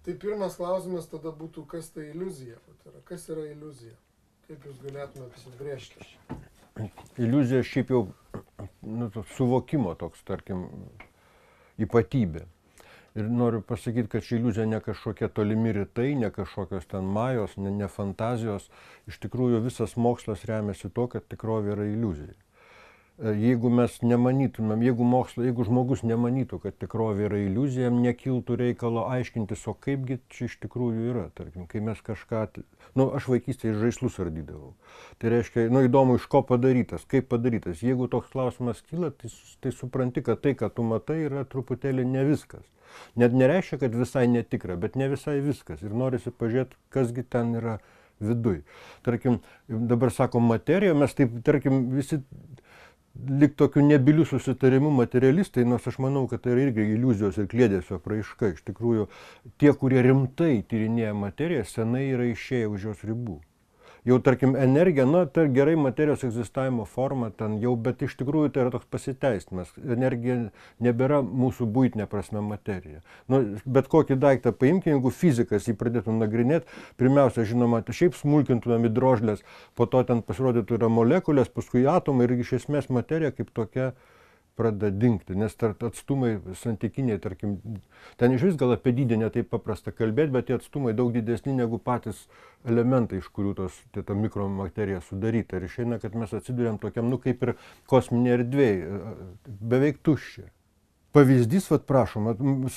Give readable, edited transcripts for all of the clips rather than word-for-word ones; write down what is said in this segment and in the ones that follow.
Tai pirmas klausimas tada būtų, kas tai iliuzija? Kas yra iliuzija? Kaip jūs galėtume apsibrėžti? Iliuzija šiaip jau suvokimo toks, tarkim, ypatybė. Ir noriu pasakyti, kad ši iliuzija ne kažkokie tolimi rytai, ne kažkokios ten majos, ne fantazijos. Iš tikrųjų visas mokslas remiasi tuo, kad tikrovė yra iliuzija. Jeigu mes nemanytumėm, jeigu žmogus nemanytų, kad tikrovė yra iliuzija, jam nekiltų reikalo aiškintis, o kaipgi čia iš tikrųjų yra. Tarkim, kai mes kažką, aš vaikystėje žaislus ardydavau. Tai reiškia, įdomu, iš ko padarytas, kaip padarytas. Jeigu toks klausimas kyla, tai supranti, kad tai, ką tu matai, yra truputėlį ne viskas. Net nereiškia, kad visai netikra, bet ne visai viskas. Ir norisi pažiūrėti, kasgi ten yra viduj. Tarkim, dabar sakom materija, mes taip, tarkim, visi lyg tokių nebylių susitarimų materialistai, nors aš manau, kad tai yra irgi iliuzijos ir kliedesio apraiška. Iš tikrųjų, tie, kurie rimtai tyrinėja materiją, senai yra išėję už jos ribų. Jau, tarkim, energija, tai gerai materijos egzistavimo forma ten jau, bet iš tikrųjų tai yra toks pasiteisinimas. Energija nebėra mūsų buitinė prasme materija. Bet kokį daiktą paimkime, jeigu fizikas jį pradėtų nagrinėti, pirmiausia, žinoma, šiaip smulkintumėm į drožlės, po to ten pasirodytų yra molekulės, paskui atomai ir iš esmės materija kaip tokia pradeda dingti, nes atstumai santykiniai, tarkim, ten iš vis gal apie dydį netaip paprasta kalbėti, bet tie atstumai daug didesni negu patys elementai, iš kurių ta mikromaterija sudaryta. Ir išeina, kad mes atsiduriam tokiam, kaip ir kosminė erdvėje, beveik tuščia. Pavyzdys, prašom,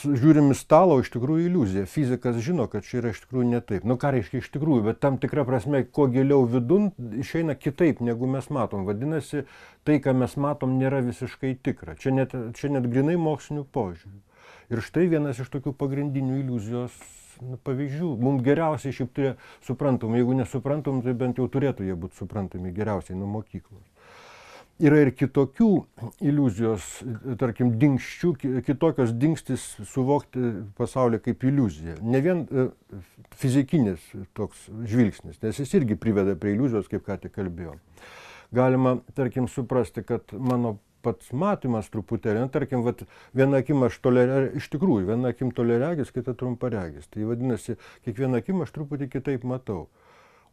žiūrim į stalą, iš tikrųjų iliuzija. Fizikas žino, kad čia yra iš tikrųjų ne taip. Ką reiškia iš tikrųjų, bet tam tikra prasme, kuo giliau vidun, išeina kitaip, negu mes matom. Vadinasi, tai, ką mes matom, nėra visiškai tikra. Čia net grinai mokslinių požiūrių. Ir štai vienas iš tokių pagrindinių iliuzijos pavyzdžių. Mums geriausiai šiaip suprantam, jeigu nesuprantam, tai bent jau turėtų jie būti suprantami geriausiai nuo mokyklos. Yra ir kitokių iliuzijos, tarkim, dingsčių, kitokios dingstis suvokti pasaulį kaip iliuziją. Ne vien fizikinis toks žvilgsnis, nes jis irgi priveda prie iliuzijos, kaip ką tik kalbėjom. Galima, tarkim, suprasti, kad mano pats matymas truputėlį, tarkim, viena akim aš iš tikrųjų, viena akim toliaregis, kita trumparegis. Tai vadinasi, kiekvieną akim aš truputį kitaip matau.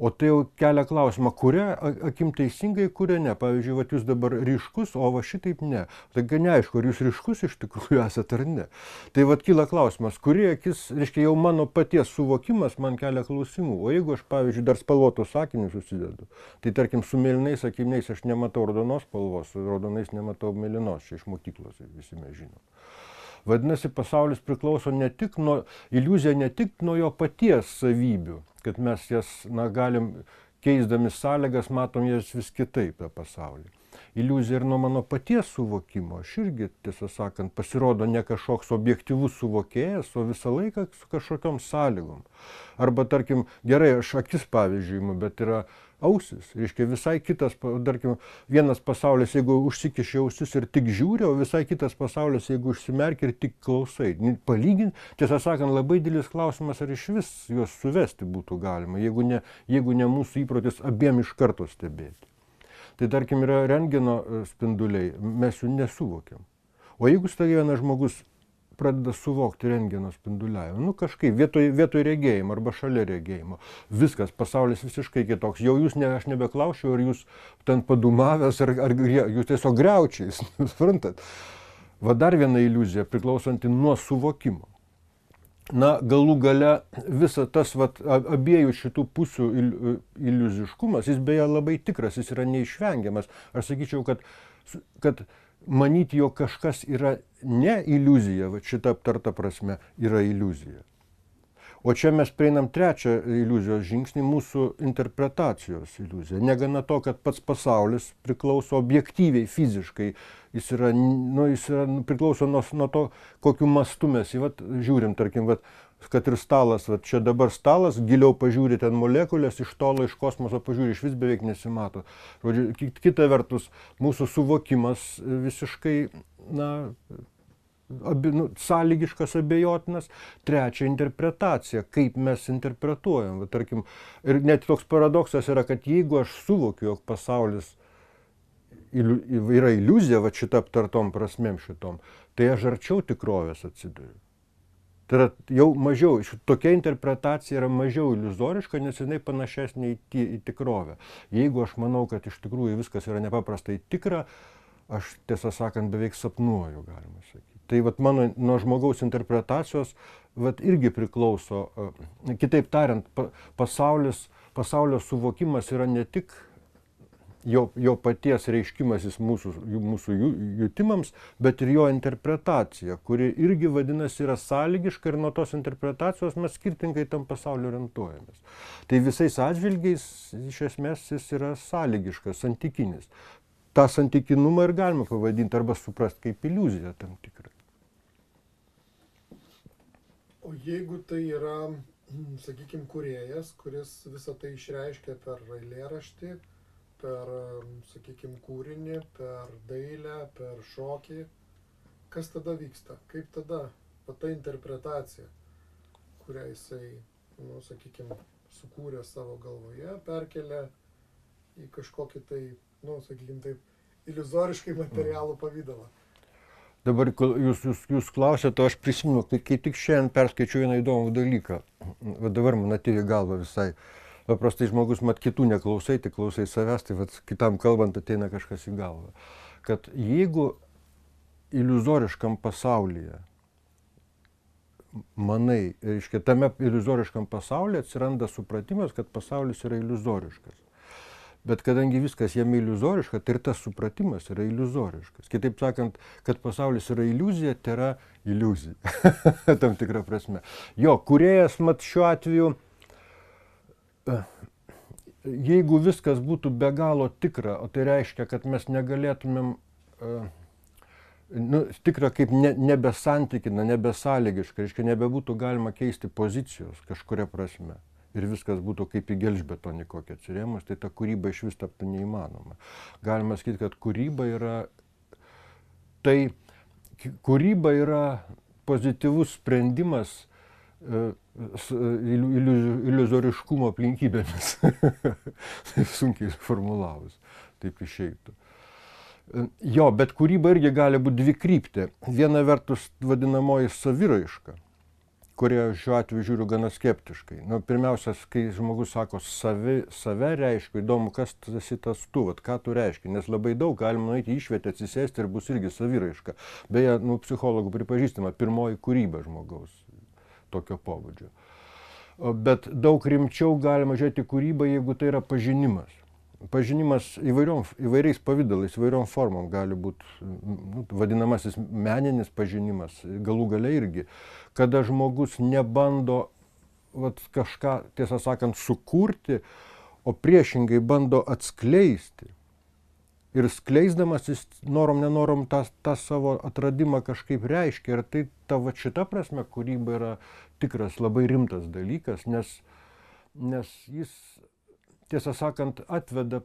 O tai jau kelia klausimą, kuria akim teisingai, kuria ne. Pavyzdžiui, jūs dabar ryškus, o šitaip ne. Tai neaišku, ar jūs ryškus iš tikrųjų esate ar ne. Tai kyla klausimas, kuri akis, reiškia, jau mano paties suvokimas man kelia klausimų. O jeigu aš, pavyzdžiui, dar spalvotus sakinius susidedu, tai tarkim, su mėlynais akiniais aš nematau raudonos spalvos, su raudonais nematau mėlynos, čia iš mokyklos visi mes žinom. Vadinasi, pasaulis priklauso iliuzija ne tik nuo jo paties savybių, kad mes jas, galim keisdami sąlygas, matom jas vis kitaip tą pasaulį. Iliuzija ir nuo mano paties suvokimo. Aš irgi, tiesą sakant, pasirodo ne kažkoks objektyvus suvokėjas, o visą laiką su kažkokiom sąlygom. Arba, tarkim, gerai, aš akis pavyzdžiui, bet yra ausis. Reiškia, visai kitas, tarkim, vienas pasaulis, jeigu užsikiši ausis ir tik žiūri, o visai kitas pasaulis, jeigu užsimerki ir tik klausai. Palyginti, tiesą sakant, labai didelis klausimas, ar iš vis juos suvesti būtų galima, jeigu ne mūsų įprotis abiem iš karto stebėti. Tai tarkim yra rentgeno spinduliai, mes jų nesuvokiam. O jeigu staiga vienas žmogus pradeda suvokti rentgeno spinduliavimą, kažkaip vietoj regėjimo arba šalia regėjimo, viskas, pasaulis visiškai kitoks. Jau aš nebeklausiu, ar jūs ten padumavęs, ar jūs tiesiog griaučiais, suprantat. Dar viena iliuzija priklausanti nuo suvokimo. Galų gale visa tas abiejų šitų pusių iliuziškumas, jis beje labai tikras, jis yra neišvengiamas. Aš sakyčiau, kad manyti, jog kažkas yra ne iliuzija, šita aptarta prasme, yra iliuzija. O čia mes prieinam trečią iliuzijos žingsnį, mūsų interpretacijos iliuziją. Negana to, kad pats pasaulis priklauso objektyviai, fiziškai, jis priklauso nuo to, kokiu mastu mes jį žiūrim, tarkim, kad ir stalas, čia dabar stalas, giliau pažiūri ten molekulės, iš tolo, iš kosmoso pažiūri, iš vis beveik nesimato. Kita vertus, mūsų suvokimas visiškai, sąlygiškas, abejotinas. Trečia, interpretacija, kaip mes interpretuojam. Tarkim, ir net toks paradoksas yra, kad jeigu aš suvokiu, jog pasaulis yra iliuzija, šitą aptartom prasmėm šitom, tai aš arčiau tikrovės atsiduriu. Tai yra jau mažiau, tokia interpretacija yra mažiau iliuzoriška, nes jinai panašesnė į tikrovę. Jeigu aš manau, kad iš tikrųjų viskas yra nepaprastai tikra, aš tiesą sakant beveik sapnuoju, galima sakyti. Tai vat mano nuo žmogaus interpretacijos vat irgi priklauso, kitaip tariant, pasaulio suvokimas yra ne tik jo paties reiškimasis mūsų jutimams, bet ir jo interpretacija, kuri irgi vadinasi yra sąlygiška ir nuo tos interpretacijos mes skirtingai tam pasaulio orientuojamės. Tai visais atžvilgiais iš esmės jis yra sąlygiškas, santykinis. tą santykinumą ir galima pavadinti arba suprasti kaip iliuziją tam tikrą. O jeigu tai yra, sakykime, kūrėjas, kuris visą tai išreiškia per eilėraštį, per, sakykime, kūrinį, per dailę, per šokį, kas tada vyksta? Kaip tada ta interpretacija, kurią jisai, sakykime, sukūrė savo galvoje, perkelia į kažkokį tai, sakykime taip, iliuzoriškai materialų pavydalą? Dabar jūs klausėte, o aš prisimenu, kai tik šiandien perskaičiau vieną įdomų dalyką. Va dabar man atėjo į galvą visai. Paprastai žmogus mat kitų neklausai, tik klausai savęs, tai vat, kitam kalbant ateina kažkas į galvą. Kad jeigu iliuzoriškam pasaulyje manai, reiškia, tame iliuzoriškam pasaulyje atsiranda supratimas, kad pasaulis yra iliuzoriškas. Bet kadangi viskas jame iliuzoriška, tai ir tas supratimas yra iliuzoriškas. Kitaip sakant, kad pasaulis yra iliuzija, tai yra iliuzija. Tam tikrą prasme. Jo, kūrėjas, mat šiuo atveju, jeigu viskas būtų be galo tikra, o tai reiškia, kad mes negalėtumėm, tikra kaip nebesantikina, nebesąlygiška, reiškia, nebebūtų galima keisti pozicijos kažkuria prasme. Ir viskas būtų kaip į gelžbetonį kokią atsirėmus, tai ta kūryba iš vis taptų neįmanoma. Galima sakyti, kad kūryba yra pozityvus sprendimas iliuzoriškumo aplinkybėmis. Taip sunkiai formulavus, taip išeitų. Jo, bet kūryba irgi gali būti dvikryptė. Viena vertus vadinamoji saviraiška, kurie šiuo atveju žiūriu gana skeptiškai. Pirmiausia, kai žmogus sako save reiškia, įdomu, kas esi tas tu, ką tu reiškia, nes labai daug galima nueiti išvietę, atsisėsti ir bus irgi saviraiška. Beje, psichologų pripažįstama pirmoji kūryba žmogaus tokio pobūdžio. Bet daug rimčiau galima žiūrėti kūrybą, jeigu tai yra pažinimas. Pažinimas įvairiais pavidalais, įvairiom formom gali būti vadinamasis meninis pažinimas, galų gale irgi, kada žmogus nebando kažką, tiesą sakant, sukurti, o priešingai bando atskleisti. Ir skleisdamas jis norom nenorom tą savo atradimą kažkaip reiškia. Ir tai šita prasme kūryba yra tikras labai rimtas dalykas, nes jis, tiesą sakant, atveda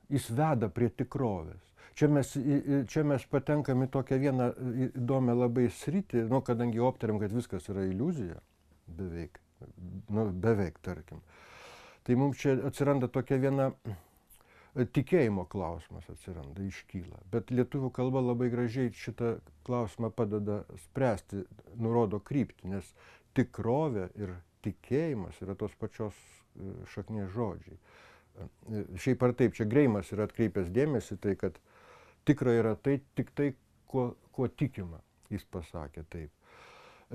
jis veda prie tikrovės. Čia mes patenkam į tokią vieną įdomią labai sritį, kadangi aptarėm, kad viskas yra iliuzija, beveik, tarkim. Tai mums čia atsiranda tokia viena tikėjimo klausimas atsiranda, iškyla. Bet lietuvių kalba labai gražiai šitą klausimą padeda spręsti, nurodo kryptį, nes tikrovė ir tikėjimas yra tos pačios šaknies žodžiai. Šiaip ar taip, čia Greimas yra atkreipęs dėmesį, tai kad tikra yra tai tik tai, kuo tikima, jis pasakė taip.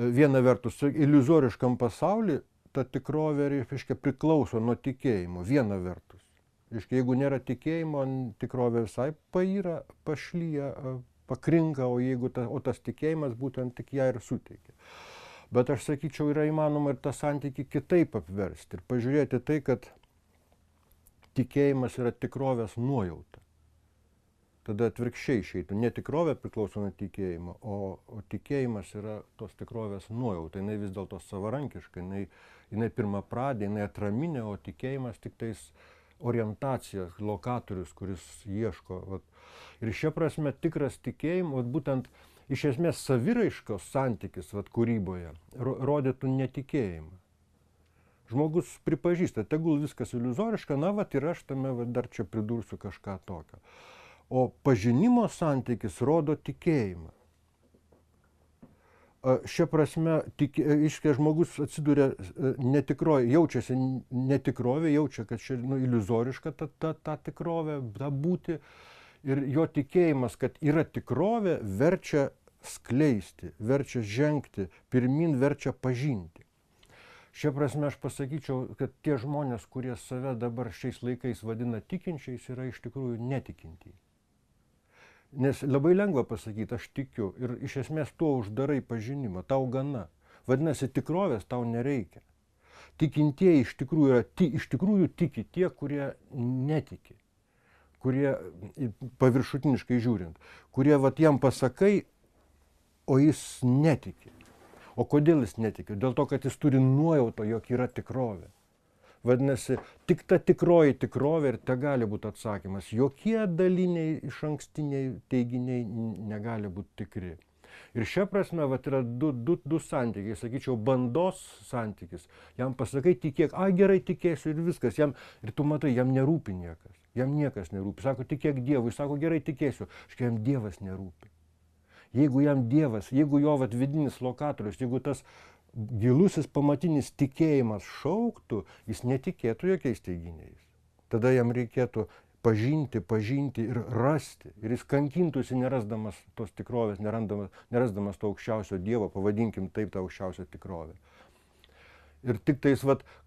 Viena vertus, iliuzoriškam pasauliui ta tikrovė, reiškia, priklauso nuo tikėjimo, viena vertus. Reiškia, jeigu nėra tikėjimo, tikrovė visai payra, pašlyja, pakrinka, o tas tikėjimas būtent tik ją ir suteikia. Bet aš sakyčiau, yra įmanoma ir tą santykį kitaip apversti ir pažiūrėti tai, kad tikėjimas yra tikrovės nuojauta. Tada atvirkščiai išeitų. Ne tikrovė priklauso nuo tikėjimo, o tikėjimas yra tos tikrovės nuojauta. Jinai vis dėlto savarankiška, jinai pirmapradė, jinai atraminė, o tikėjimas tik tais orientacija, lokatorius, kuris ieško. Ir šia prasme tikras tikėjimas, būtent iš esmės saviraiškos santykis kūryboje rodytų netikėjimą. Žmogus pripažįsta, tegul viskas iliuzoriška, ir aš tame dar čia pridursiu kažką tokio. o pažinimo santykis rodo tikėjimą. Šia prasme, iškia žmogus atsiduria netikrovė, jaučiasi netikrovė, jaučia, kad čia iliuzoriška ta tikrovė, ta būti. Ir jo tikėjimas, kad yra tikrovė, verčia skleisti, verčia žengti, pirmin verčia pažinti. Šia prasme aš pasakyčiau, kad tie žmonės, kurie save dabar šiais laikais vadina tikinčiais, yra iš tikrųjų netikintieji. Nes labai lengva pasakyti, aš tikiu ir iš esmės tuo uždarai pažinimą, tau gana. Vadinasi, tikrovės tau nereikia. Tikintieji iš tikrųjų tiki tie, kurie netiki, kurie paviršutiniškai žiūrint, kurie jam pasakai, o jis netiki. O kodėl jis netiki? Dėl to, kad jis turi nuojautą, jog yra tikrovė. Vadinasi, tik ta tikroji tikrovė ir te gali būti atsakymas. Jokie daliniai iš ankstiniai teiginiai negali būti tikri. Ir šia prasme yra du santykiai, sakyčiau, bandos santykis. Jam pasakai tikėk, gerai tikėsiu ir viskas. Ir tu matai, jam nerūpi niekas. Jam niekas nerūpi. Sako, tikėk Dievui. Sako, gerai tikėsiu. Jam Dievas nerūpi. Jeigu jam Dievas, jeigu jo vidinis lokatorius, jeigu tas gilusis pamatinis tikėjimas šauktų, jis netikėtų jokiais teiginiais. Tada jam reikėtų pažinti ir rasti. Ir jis kankintųsi nerasdamas tos tikrovės, nerasdamas to aukščiausio Dievo, pavadinkim taip tą aukščiausią tikrovę. Ir tik tais,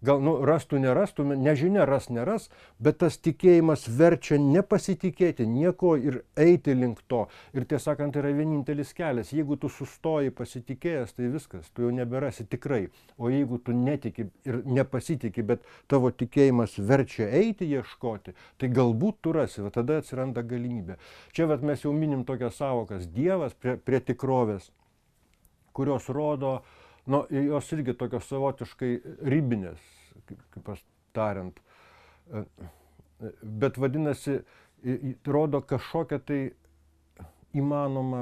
gal rastų, nerastų, nežinia, neras, bet tas tikėjimas verčia nepasitikėti nieko ir eiti link to. Ir tiesą sakant, yra vienintelis kelias. Jeigu tu sustoji pasitikėjęs, tai viskas, tu jau neberasi tikrai. O jeigu tu netiki ir nepasitiki, bet tavo tikėjimas verčia eiti, ieškoti, tai galbūt tu rasi, tada atsiranda galimybė. Čia mes jau minim tokias savokas Dievas prie tikrovės, kurios rodo, jos irgi tokios savotiškai ribinės, kaip aš tariant. Bet vadinasi, rodo kažkokią tai įmanomą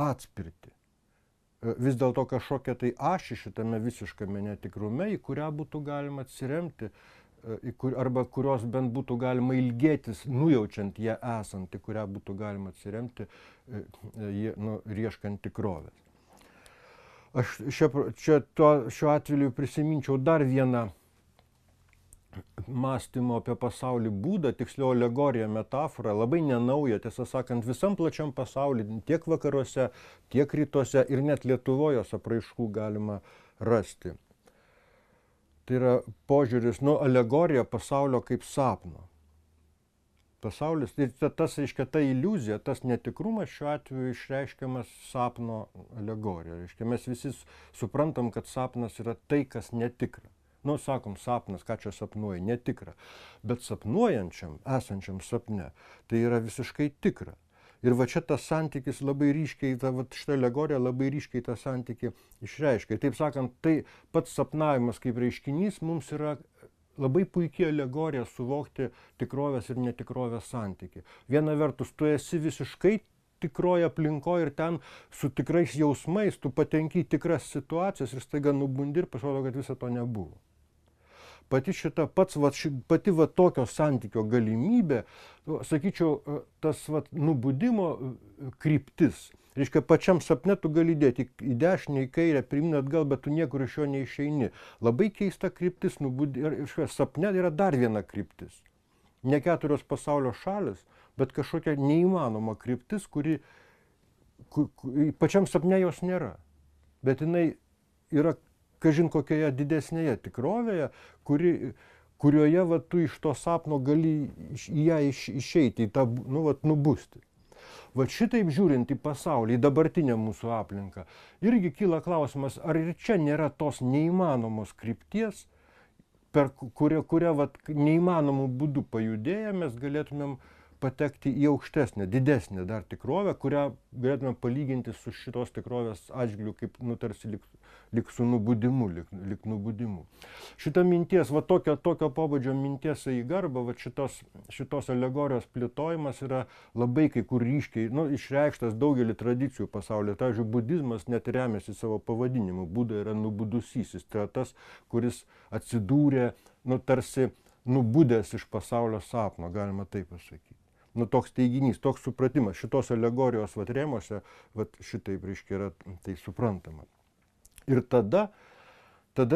atspirtį. Vis dėlto kažkokią tai ašį šitame visiškame netikrume, į kurią būtų galima atsiremti, arba kurios bent būtų galima ilgėtis, nujaučiant ją esant, į kurią būtų galima atsiremti, ieškant tikrovės. Aš šiuo atveju prisiminčiau dar vieną mąstymo apie pasaulį būdą, tiksliau alegoriją, metaforą, labai nenaują, tiesą sakant, visam plačiam pasauly, tiek vakaruose, tiek rytuose ir net Lietuvoje apraiškų galima rasti. Tai yra požiūris, alegorija pasaulio kaip sapno. Pasaulis, ir tas, reiškia, ta iliuzija, tas netikrumas šiuo atveju išreiškiamas sapno alegorija. Reiškia, mes visi suprantam, kad sapnas yra tai, kas netikra. Sakom, sapnas, ką čia sapnuoji, netikra. Bet sapnuojančiam, esančiam sapne, tai yra visiškai tikra. Ir čia tas santykis labai ryškiai, šitą alegoriją labai ryškiai tą santykį išreiškia. Taip sakant, tai pats sapnavimas kaip reiškinys mums yra labai puikiai alegorija suvokti tikrovės ir netikrovės santykį. Viena vertus, tu esi visiškai tikroje aplinkoje ir ten su tikrais jausmais tu patenki į tikras situacijas ir staiga nubundi ir pasirodo, kad viso to nebuvo. Pati tokio santykio galimybė, sakyčiau, tas nubudimo kryptis. Reiškia, pačiam sapne tu gali dėti į dešinę, į kairę, pirmyn atgal, bet tu niekur iš jo neišeini. Labai keista kryptis, sapne yra dar viena kryptis. Ne 4 pasaulio šalis, bet kažkokia neįmanoma kryptis, kuri pačiam sapne jos nėra. Bet jinai yra kažin kokioje didesnėje tikrovėje, kurioje tu iš to sapno gali į ją išeiti, į tą, nubusti. Šitaip žiūrint į pasaulį, į dabartinę mūsų aplinką, irgi kyla klausimas, ar ir čia nėra tos neįmanomos krypties, per kurią neįmanomų būdų pajudėję mes galėtumėm patekti į aukštesnę, didesnę dar tikrovę, kurią galėtume palyginti su šitos tikrovės atžvilgiu, kaip tarsi lyg su nubudimu, lyg nubudimu. Šita minties, tokio pobūdžio minties į garbą, šitos alegorijos plėtojimas yra labai kai kur ryškiai išreikštas daugelį tradicijų pasaulyje. Pavyzdžiui, budizmas net remiasi savo pavadinimu. Buda yra nubudusysis. Tai yra tas, kuris atsidūrė tarsi nubudęs iš pasaulio sapno, galima taip pasakyti. Nu, toks teiginys, toks supratimas, šitos alegorijos vat rėmuose, vat šitaip, reiškia, yra tai suprantama. Ir tada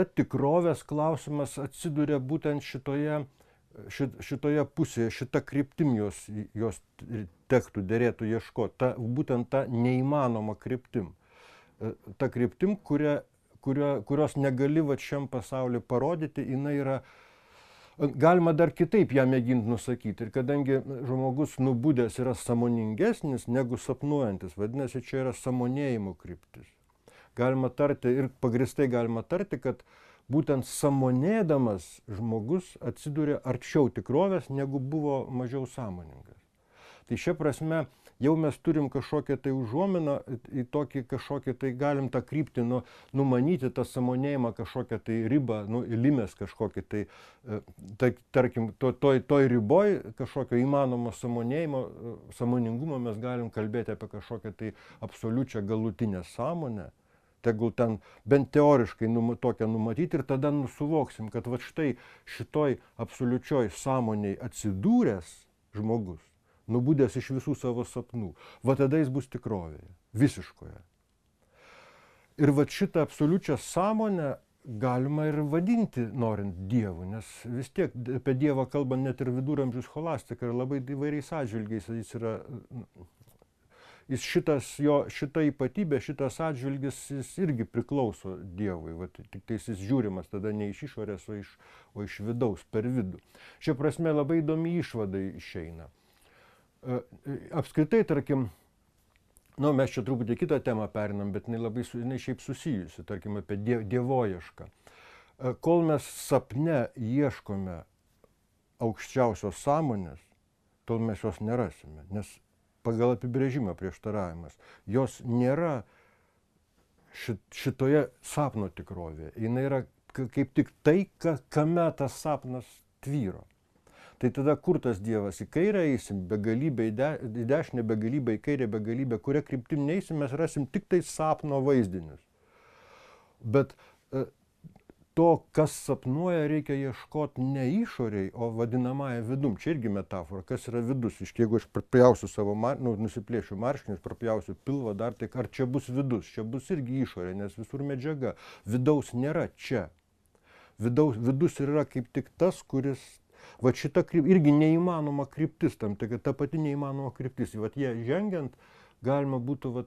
tikrovės klausimas atsiduria būtent šitoje pusėje, šita kryptim jos tektų, derėtų ieškoti, būtent ta neįmanoma kryptim. Ta kryptim, kurios negali va šiam pasauliu parodyti, jinai yra. Galima dar kitaip ją mėginti nusakyti. Ir kadangi žmogus nubudęs yra sąmoningesnis negu sapnuojantis, vadinasi, čia yra sąmonėjimo kryptis. Galima tarti ir pagristai galima tarti, kad būtent sąmonėdamas žmogus atsiduria arčiau tikrovės, negu buvo mažiau sąmoningas. Tai šia prasme jau mes turim kažkokią tai užuominą į tokį kažkokį tai galim tą kryptį numanyti, tą sąmonėjimą kažkokią tai ribą, limės kažkokį tai, tarkim, toj riboj kažkokio įmanomo sąmoningumo mes galim kalbėti apie kažkokią tai absoliučią galutinę sąmonę. Tegul ten bent teoriškai tokią numatyti ir tada suvoksim, kad va štai šitoj absoliučioj sąmonėj atsidūręs žmogus, nubudęs iš visų savo sapnų, va tada jis bus tikrovėje, visiškoje. Ir va šitą absoliučią sąmonę galima ir vadinti, norint Dievu, nes vis tiek apie Dievą kalba net ir viduramžių scholastika ir labai įvairiais atžvilgiais jis yra. Šita ypatybė, šitas atžvilgis, jis irgi priklauso Dievui, tik tai jis žiūrimas tada ne iš išorės, o iš vidaus, per vidų. Šia prasme labai įdomi išvada išeina. Apskritai, tarkim, mes čia truputį kitą temą perinam, bet jinai šiaip susijusi, tarkim, apie dievoiešką. Kol mes sapne ieškome aukščiausios sąmonės, tol mes jos nerasime, nes pagal apibrėžimą prieštaravimas. Jos nėra šitoje sapno tikrovėje. Jis yra kaip tik tai, kame tas sapnas tvyro. Tai tada kur tas Dievas? Į kairę eisim, begalybę į dešinę, begalybę į kairę, begalybę, kuria kryptim neisim, mes rasim tik tai sapno vaizdinius. Bet to, kas sapnuoja, reikia ieškoti ne išoriai, o vadinamąją vidum. Čia irgi metafora, kas yra vidus. Jeigu aš prapjausiu savo, nusiplėšiu marškinius, prapjausiu pilvą, dar tik ar čia bus vidus, čia bus irgi išorė, nes visur medžiaga. Vidaus nėra čia. Vidus yra kaip tik tas, kuris, va šita irgi neįmanoma kryptis tam, tai ta pati neįmanoma kryptis. Vat jie žengiant, galima būtų,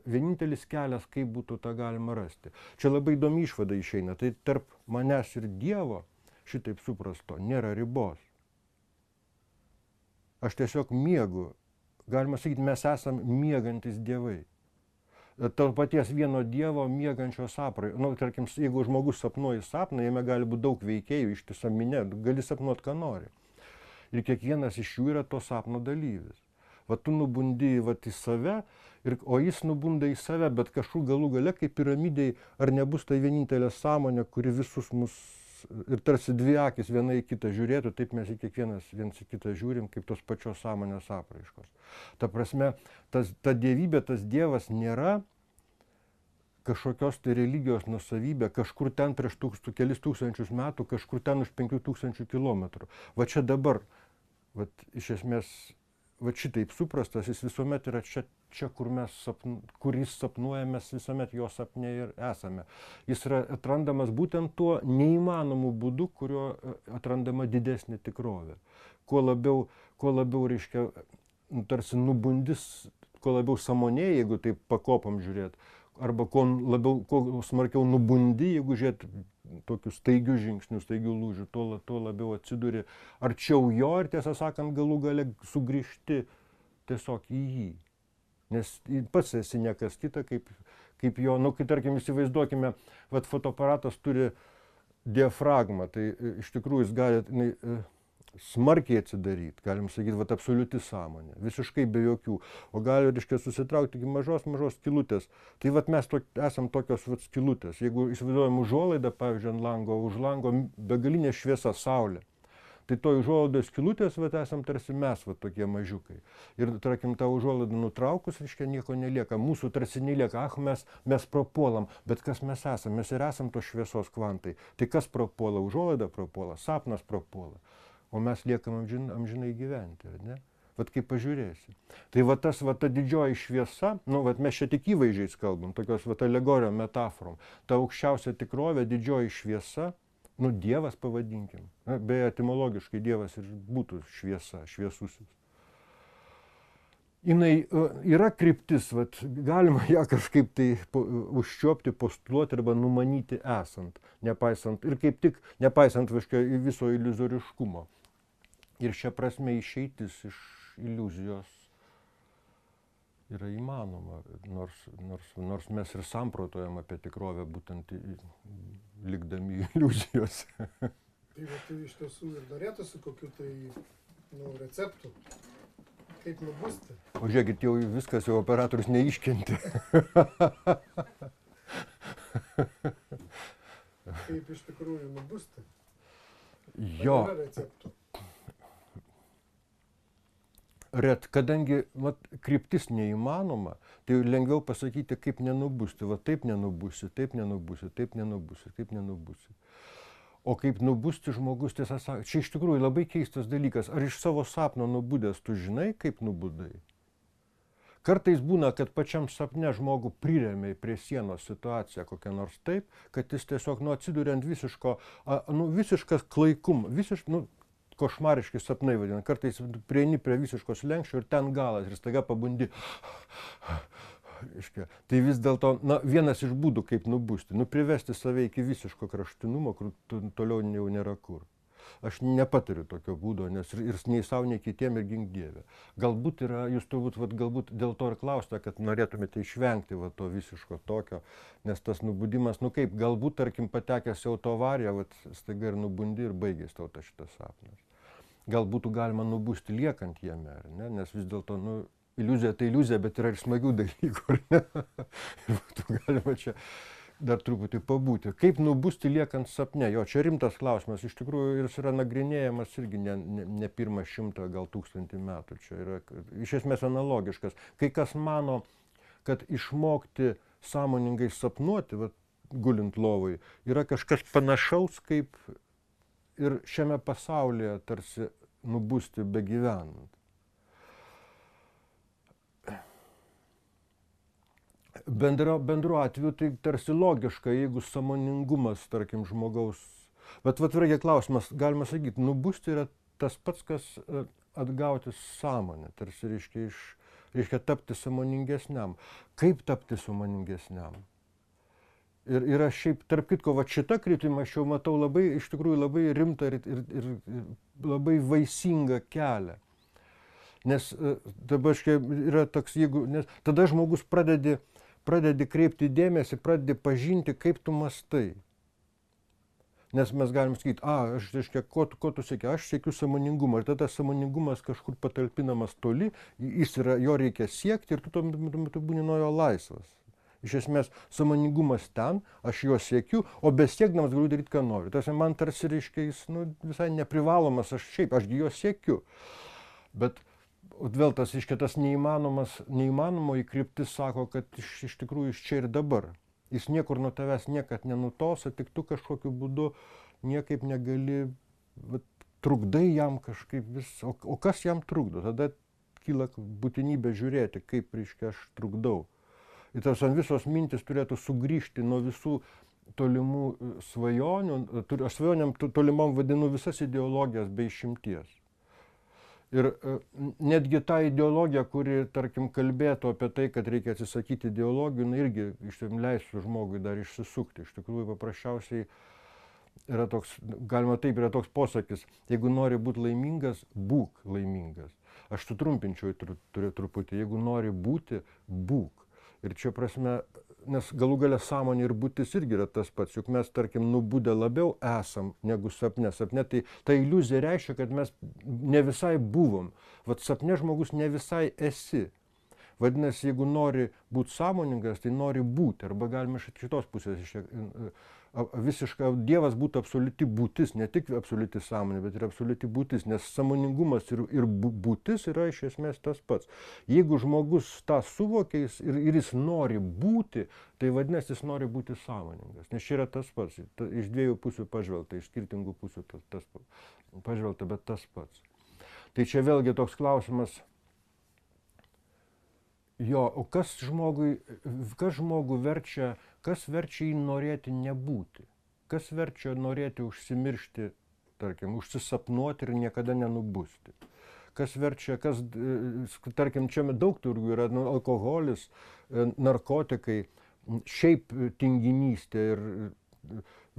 vienintelis kelias, kaip būtų tą galima rasti. Čia labai įdomi išvada išeina. Tai tarp manęs ir Dievo, šitaip suprasto, nėra ribos. Aš tiesiog miegu. Galima sakyti, mes esam miegantis dievai. Tarp paties vieno Dievo miegančio saprai. Tarkim, jeigu žmogus sapnuoja sapną, jame gali būti daug veikėjų, ištisa minė, gali sapnuoti, ką nori. Ir kiekvienas iš jų yra to sapno dalyvis. Tu nubundi į save, o jis nubunda į save, bet kažkur galų gale, kaip piramidėj, ar nebus tai vienintelė sąmonė, kuri visus mus ir tarsi dvi akis viena į kitą žiūrėtų, taip mes į kiekvienas viens į kitą žiūrim, kaip tos pačios sąmonės apraiškos. Ta prasme, ta dievybė, tas Dievas nėra kažkokios tai religijos nusavybė, kažkur ten prieš kelis tūkstančius metų, kažkur ten už 5000 kilometrų. Va čia dabar, iš esmės, šitaip suprastas, jis visuomet yra čia kur jis sapnuoja, mes visuomet jo sapne ir esame. Jis yra atrandamas būtent tuo neįmanomu būdu, kuriuo atrandama didesnė tikrovė. Kuo labiau reiškia, tarsi nubundis, kuo labiau sąmonėje, jeigu taip pakopam žiūrėt, arba kuo smarkiau nubundi, jeigu žiūrėt tokius staigius žingsnius, staigių lūžių, tuo labiau atsiduri arčiau jo ir, tiesą sakant, galų gale sugrįžti tiesiog į jį. Nes pats esi niekas kita, kaip jo, kai tarkim įsivaizduokime, fotoaparatas turi diafragmą, tai iš tikrųjų jis gali smarkiai atsidaryti, galim sakyti, absoliuti sąmonė, visiškai be jokių, o gali, reiškia, susitraukti iki mažos skylutės. Tai mes esam tokios skylutės. Jeigu įsivaizduojam užuolaidą, pavyzdžiui, ant lango, už lango begalinė šviesa, saulė, tai to užuolaidos skylutės esam tarsi mes, tokie mažiukai. Ir, tarkim, tą užuolaidą nutraukus, reiškia, nieko nelieka. Mūsų tarsi nelieka, mes prapuolam, bet kas mes esam? Mes ir esam tos šviesos kvantai. Tai kas prapuola? Užuolaida prapuola, sapnas prapuola. O mes liekam amžinai gyventi, ar ne? vat kaip pažiūrėsi. Tai va tas, va ta didžioji šviesa, nu, va mes čia tik įvaizdžiais kalbam, tokios va alegorijom, metaforom, ta aukščiausia tikrovė, didžioji šviesa, nu, Dievas pavadinkim. Na, beje, etimologiškai Dievas ir būtų šviesa, šviesusis. Jinai yra kryptis, vat, galima ją kažkaip tai užčiuopti, postuluoti arba numanyti esant, nepaisant, ir kaip tik nepaisant viso iliuzoriškumo. Ir šia prasme išeitis iš iliuzijos yra įmanoma, nors mes ir samprotojam apie tikrovę būtent likdami iliuzijose. Tai va, tai iš tiesų ir norėtųsi kokių tai receptų, kaip nubusti. O žiūrėkit, jau viskas, jau operatorius neiškentė. Kaip iš tikrųjų nubusti? Jo. Ar yra receptų? Kadangi kryptis neįmanoma, tai lengviau pasakyti, kaip nenubusti. Va taip nenubusi, taip nenubusi, taip nenubusi, taip nenubusi. O kaip nubusti žmogus, tiesą sakant, čia iš tikrųjų labai keistas dalykas. Ar iš savo sapno nubudęs tu žinai, kaip nubudai? Kartais būna, kad pačiam sapne žmogų priremia prie sienos situaciją kokią nors taip, kad jis tiesiog atsiduria ant visiškas klaikumas, košmariški sapnai vadina. Kartais prieini prie visiškos slenksčio ir ten galas ir staiga pabundi. Tai vis dėlto vienas iš būdų, kaip nubusti, privesti save iki visiško kraštutinumo, kur toliau jau nėra kur. Aš nepatariu tokio būdo, nes ir nei savo, nei kitiem ir gink Dieve. Galbūt yra, jūs turbūt galbūt dėl to ir klausite, kad norėtumėte išvengti to visiško tokio, nes tas nubudimas, kaip, galbūt, tarkim, patekęs į autoavariją, staiga ir nubundi ir baigės tau šitas sapnas. Gal būtų galima nubusti liekant jame, ar ne? Nes vis dėlto, iliuzija tai iliuzija, bet yra ir smagių dalykų, ar ne? Ir būtų galima čia dar truputį pabūti. Kaip nubusti liekant sapne? Jo, čia rimtas klausimas, iš tikrųjų jis yra nagrinėjamas irgi ne pirmą 100, gal 1000 metų. Čia yra iš esmės analogiškas. Kai kas mano, kad išmokti sąmoningai sapnuoti, gulint lovai, yra kažkas panašaus kaip ir šiame pasaulyje tarsi nubusti begyvenant. Bendru atveju tai tarsi logiška, jeigu sąmoningumas, tarkim, žmogaus. Bet reikia klausimas, galima sakyti, nubusti yra tas pats, kas atgauti sąmonę, tarsi reiškia tapti sąmoningesniam. Kaip tapti sąmoningesniam? Ir aš šiaip, tarp kitko, šitą kryptimą aš jau matau iš tikrųjų labai rimtą ir labai vaisingą kelią. Nes dabar yra toks, nes tada žmogus pradedi kreipti dėmesį, pradedi pažinti, kaip tu mastai. Nes mes galim sakyti, ko tu sieki, aš siekiu sąmoningumą. Ir tada sąmoningumas kažkur patalpinamas toli, jo reikia siekti ir tu tuo metu būni nuo jo laisvas. Iš esmės, sąmoningumas ten, aš jo siekiu, o besiekdamas galiu daryti, ką noriu. Tas man tarsi reiškia, jis visai neprivalomas, aš jo siekiu. Bet vėl tas neįmanomoji kryptis sako, kad iš tikrųjų jis čia ir dabar. Jis niekur nuo tavęs niekad nenutosa, tik tu kažkokiu būdu niekaip negali, trukdai jam kažkaip vis. O kas jam trukdo? Tada kyla būtinybė žiūrėti, kaip reiškia aš trukdau. Ir tas visos mintis turėtų sugrįžti nuo visų tolimų svajonių. Aš svajonėm tolimam vadinu visas ideologijas be išimties. Ir netgi ta ideologija, kuri, tarkim, kalbėtų apie tai, kad reikia atsisakyti ideologijų, irgi leistų žmogui dar išsisukti. Iš tikrųjų, paprasčiausiai yra toks, galima taip, yra toks posakis, jeigu nori būti laimingas, būk laimingas. Aš sutrumpinčiau truputį, jeigu nori būti, būk. Ir čia prasme, nes galų gale sąmonė ir būtis irgi yra tas pats, juk mes, tarkim, nubudę labiau esam negu sapne. Sapne tai ta iliuzija reiškia, kad mes ne visai buvom. Sapne žmogus ne visai esi. Vadinasi, jeigu nori būti sąmoningas, tai nori būti. Arba galime iš šitos pusės visiškai Dievas būtų absoliuti būtis, ne tik absoliuti sąmonė, bet ir absoliuti būtis, nes sąmoningumas ir būtis yra iš esmės tas pats. Jeigu žmogus tą suvokia ir jis nori būti, tai vadinasi, jis nori būti sąmoningas, nes čia yra tas pats, iš dviejų pusių pažvelgta, iš skirtingų pusių pažvelgta, bet tas pats. Tai čia vėlgi toks klausimas, jo, o kas žmogų verčia, kas verčia jį norėti nebūti? Kas verčia norėti užsimiršti, tarkim, užsisapnuoti ir niekada nenubusti? Kas verčia, tarkim, čia daug turgų yra, alkoholis, narkotikai, šiaip tinginystė ir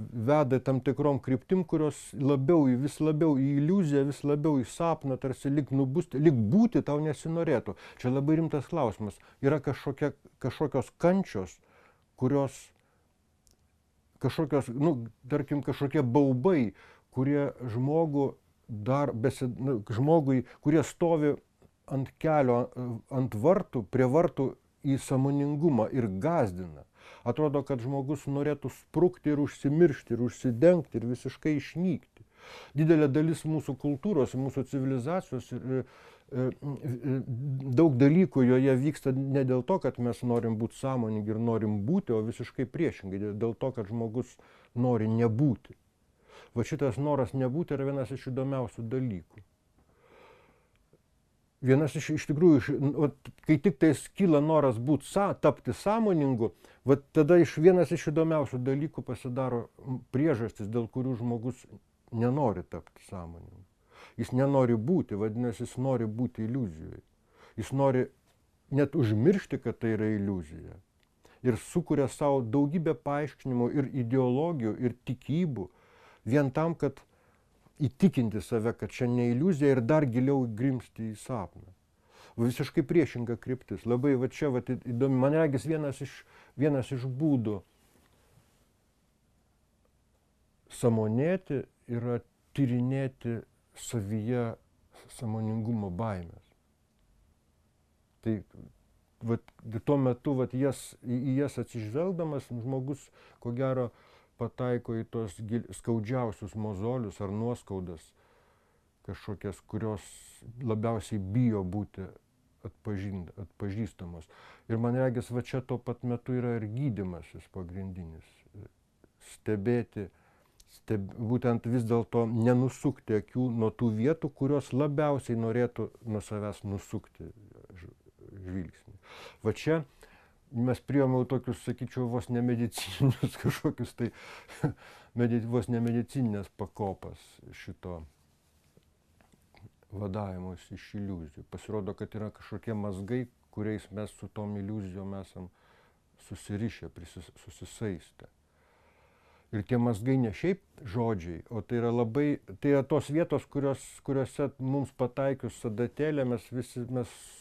veda tam tikrom kryptim, kurios vis labiau į iliuziją, vis labiau į sapną, tarsi lyg nubusti, lyg būti tau nesinorėtų. Čia labai rimtas klausimas. Yra kažkokios kančios, kurios, tarkim, kažkokie baubai, kurie žmogui, kurie stovi ant kelio, ant vartų, prie vartų į sąmoningumą ir gąsdina. Atrodo, kad žmogus norėtų sprukti ir užsimiršti, ir užsidengti, ir visiškai išnykti. Didelė dalis mūsų kultūros, mūsų civilizacijos, daug dalykų joje vyksta ne dėl to, kad mes norim būti sąmoningi ir norim būti, o visiškai priešingai, dėl to, kad žmogus nori nebūti. Va šitas noras nebūti yra vienas iš įdomiausių dalykų. Vienas iš tikrųjų, kai tik tai kyla noras tapti sąmoningu, tada vienas iš įdomiausių dalykų pasidaro priežastis, dėl kurių žmogus nenori tapti sąmoningu. Jis nenori būti, vadinasi, jis nori būti iliuzijoje. Jis nori net užmiršti, kad tai yra iliuzija. Ir sukuria savo daugybę paaiškinimų ir ideologijų, ir tikybų, vien tam, kad įtikinti save, kad čia ne iliuzija ir dar giliau grimsti į sapną. Visiškai priešinga kryptis. Labai čia įdomi. Man regis vienas iš būdų sąmonėti yra tyrinėti savyje sąmoningumo baimės. Tai tuo metu į jas atsižvelgdamas žmogus, ko gero, pataiko į tos skaudžiausius mozolius ar nuoskaudas kažkokias, kurios labiausiai bijo būti atpažįstamos. Ir man regis, čia tuo pat metu yra ir gydymasis pagrindinis. Stebėti, būtent vis dėlto nenusukti akių nuo tų vietų, kurios labiausiai norėtų nuo savęs nusukti žvilgsnį. Va čia mes priėmiau tokius, sakyčiau, vos nemedicininius kažkokius vos nemedicininės pakopas šito vadavimus iš iliuzijų. Pasirodo, kad yra kažkokie mazgai, kuriais mes su tom iliuzijom esam susirišę, susisaistę. Ir tie mazgai ne šiaip žodžiai, o tai yra tos vietos, kuriuose mums pataikius sadatėlę mes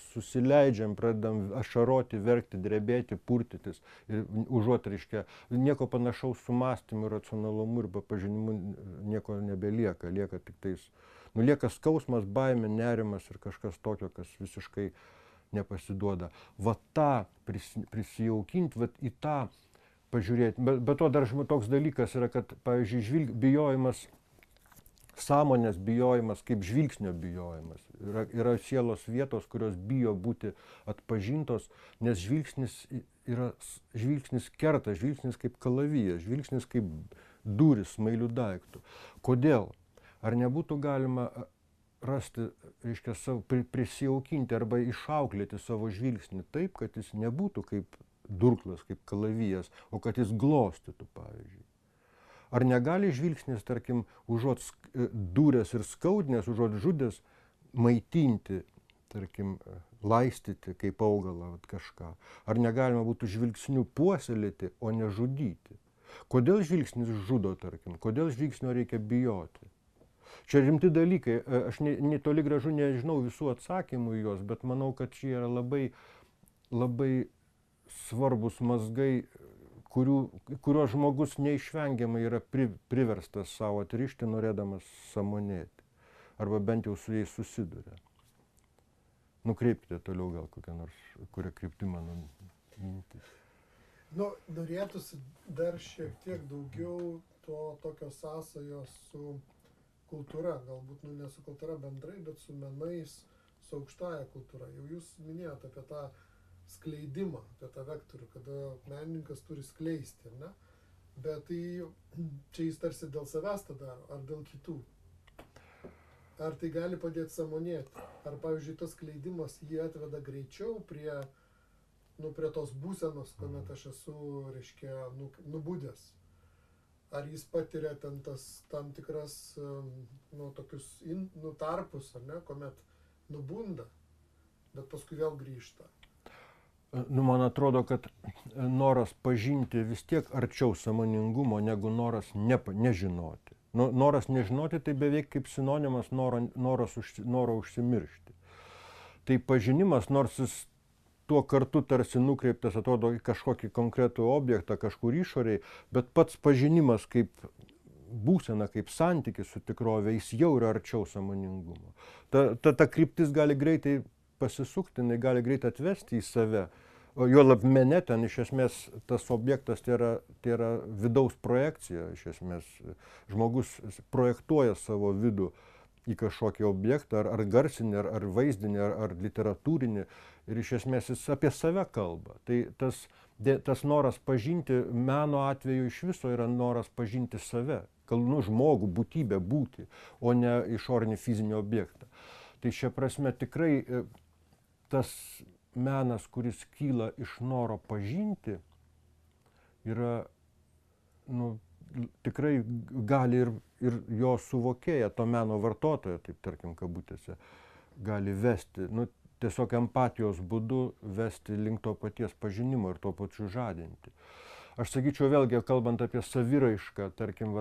susileidžiam, pradedam ašaroti, verkti, drebėti, purtytis. Ir užuot, reiškia, nieko panašaus su mąstymu, racionalumu ir pažinimu nieko nebelieka. Lieka tik lieka skausmas, baimė, nerimas ir kažkas tokio, kas visiškai nepasiduoda. Ta prisijaukinti, į tą pažiūrėti. Bet to dar toks dalykas yra, kad, pavyzdžiui, bijojimas, sąmonės bijojimas kaip žvilgsnio bijojimas. Yra sielos vietos, kurios bijo būti atpažintos, nes žvilgsnis kerta, žvilgsnis kaip kalavijas, žvilgsnis kaip duris smailių daiktų. Kodėl? Ar nebūtų galima rasti, reiškia, prisijaukinti arba išauklėti savo žvilgsnį taip, kad jis nebūtų kaip durklas, kaip kalavijas, o kad jis glostytų, pavyzdžiui. Ar negali žvilgsnis, tarkim, užuot dūręs ir skaudinęs, užuot žudęs, maitinti, tarkim, laistyti kaip augalą kažką? Ar negalima būtų žvilgsnių puoselėti, o ne žudyti? Kodėl žvilgsnis žudo, tarkim? Kodėl žvilgsnio reikia bijoti? Čia rimti dalykai. Aš toli gražu nežinau visų atsakymų į juos, bet manau, kad čia yra labai svarbus mazgai, kuriuos žmogus neišvengiamai yra priverstas savo atrišti, norėdamas sąmonėti. Arba bent jau su jais susiduria. Nukreipkite toliau gal kurią kryptį mano mintis. Norėtųsi dar šiek tiek daugiau tokio sąsajos su kultūra. Galbūt ne su kultūra bendrai, bet su menais, su aukštąja kultūra. Jau jūs minėjote apie tą skleidimą, apie tą vektorių, kada menininkas turi skleisti, ne? Bet tai čia jis tarsi dėl savęs tą daro, ar dėl kitų? ar tai gali padėti sąmonėti? Ar, pavyzdžiui, tas skleidimas jį atveda greičiau prie tos būsenos, kuomet aš esu, reiškia, nubudęs? Ar jis patiria ten tam tikras, tokius tarpus, ar ne, kuomet nubunda, bet paskui vėl grįžta? Man atrodo, kad noras pažinti vis tiek arčiau sąmoningumo negu noras nežinoti. Noras nežinoti tai beveik kaip sinonimas noro užsimiršti. Tai pažinimas, nors jis tuo kartu tarsi nukreiptas, atrodo, į kažkokį konkretų objektą, kažkur išoriai, bet pats pažinimas kaip būsena, kaip santykis su tikrove, jis jau yra arčiau sąmoningumo. Ta kryptis gali greitai pasisukti, jinai gali greitai atvesti į save. O juolab mene ten iš esmės tas objektas tai yra vidaus projekcija, iš esmės žmogus projektuoja savo vidų į kažkokį objektą, ar garsinį, ar vaizdinį, ar literatūrinį, ir iš esmės jis apie save kalba. Tai tas noras pažinti, meno atveju iš viso yra noras pažinti save, žmogų, būtybę būti, o ne išorinį fizinį objektą. Tai šia prasme tikrai tas menas, kuris kyla iš noro pažinti, yra, tikrai gali ir jo suvokėja, to meno vartotojo, taip tarkim kabutėse, gali vesti, tiesiog empatijos būdu vesti link to paties pažinimo ir tuo pačiu žadinti. Aš sakyčiau vėlgi, kalbant apie saviraišką, tarkim,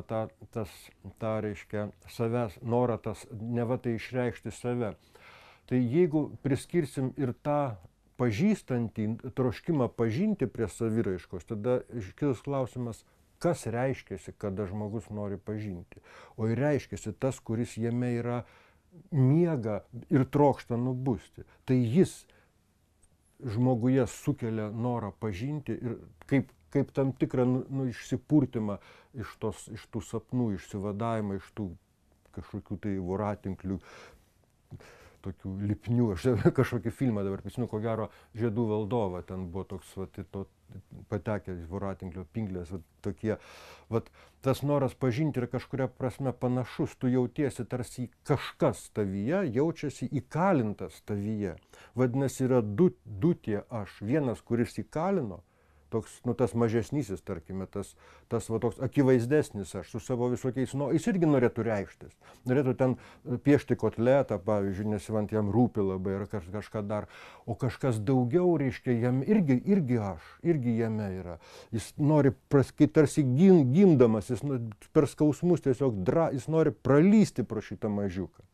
tą reiškia savęs norą, neva tai išreikšti save. Tai jeigu priskirsim ir tą pažįstantį, troškimą pažinti prie saviraiškos, tada iškils klausimas, kas reiškiasi, kada žmogus nori pažinti. O ir reiškiasi tas, kuris jame yra miega ir trokšta nubusti. Tai jis žmoguje sukelia norą pažinti ir kaip tam tikrą išsipurtimą iš tų sapnų, išsivadavimą, iš tų kažkokių tai voratinklių, tokių lipnių. Aš kažkokį filmą dabar prisimenu, ko gero Žiedų valdovą, ten buvo toks patekę voratinklio pinklės, tokie. Tas noras pažinti yra kažkuria prasme panašus, tu jautiesi tarsi kažkas tavyje, jaučiasi įkalintas tavyje. Vadinasi, yra du tie aš. Vienas, kuris įkalino, toks, tas mažesnysis, tarkime, tas toks akivaizdesnis aš su savo visokiais, jis irgi norėtų reikštis. Norėtų ten piešti kotletą, pavyzdžiui, nes jam rūpi labai ir kažką dar. O kažkas daugiau, reiškia, jam irgi aš, irgi jame yra. Jis nori, tarsi gimdamas, jis per skausmus tiesiog jis nori pralysti pro šitą mažiuką.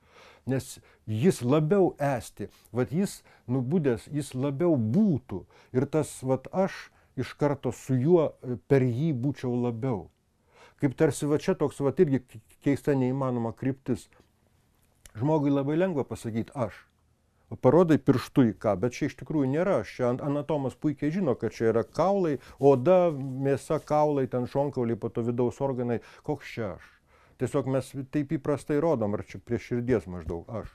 Nes jis labiau esti, jis nubudęs, jis labiau būtų. Ir tas aš iš karto su juo per jį būčiau labiau. Kaip tarsi čia toks irgi keista neįmanoma kryptis. Žmogui labai lengva pasakyti aš. Parodai pirštu į ką, bet čia iš tikrųjų nėra. Čia anatomas puikiai žino, kad čia yra kaulai, oda, mėsa, kaulai, ten šonkauliai, po to vidaus organai. Koks čia aš? Tiesiog mes taip įprastai rodom, ar čia prie širdies maždaug aš.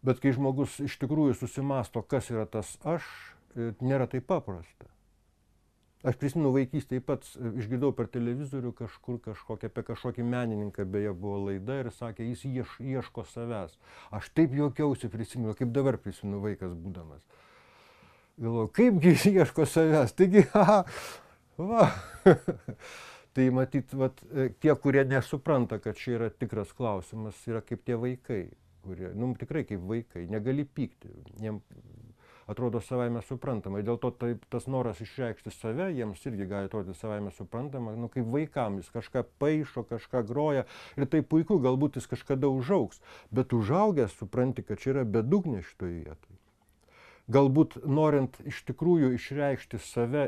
Bet kai žmogus iš tikrųjų susimasto, kas yra tas aš, nėra taip paprasta. Aš prisimenu vaikystėje pats išgirdau per televizorių apie kažkokį menininką, beje buvo laida ir sakė, jis ieško savęs. Aš taip juokiausi prisimenu, kaip dabar prisimenu vaikas būdamas. Galvoju, kaipgi jis ieško savęs, taigi, va. Tai matyt, tie, kurie nesupranta, kad čia yra tikras klausimas, yra kaip tie vaikai, kurie, tikrai kaip vaikai, negali pykti. Jiem atrodo savaime suprantama. Dėl to tas noras išreikšti save, jiems irgi gali atrodyti savaime suprantama, kaip vaikam, jis kažką paišo, kažką groja ir tai puiku, galbūt jis kažkada užaugs, bet užaugęs supranti, kad čia yra bedugnė šitoje vietoje. Galbūt norint iš tikrųjų išreikšti save